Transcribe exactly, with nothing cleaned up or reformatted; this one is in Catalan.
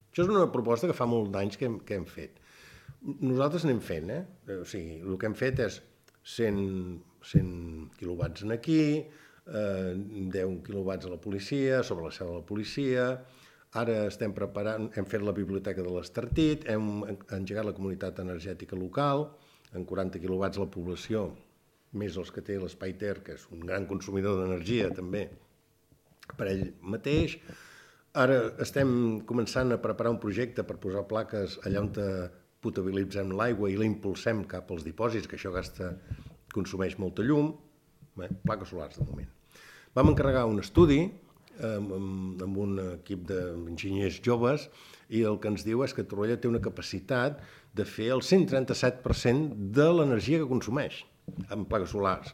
Això és una proposta que fa molts d'anys que hem, que hem fet. Nosaltres anem fent, eh? O sigui, el que hem fet és cent, cent quilowatts en aquí, eh, deu quilowatts a la policia, sobre la seu de la policia. Ara estem preparant, hem fet la biblioteca de l'Estartit, hem engegat la comunitat energètica local, en quaranta quilowatts la població, més els que té l'Espai Ter, que és un gran consumidor d'energia també, per ell mateix. Ara estem començant a preparar un projecte per posar plaques allà on potabilitzem l'aigua i la impulsem cap als dipòsits, que això gasta, consumeix molta llum. Bé, plaques solars de moment. Vam encarregar un estudi amb, amb un equip d'enginyers joves i el que ens diu és que Torroella té una capacitat de fer el cent trenta-set per cent de l'energia que consumeix en plaques solars.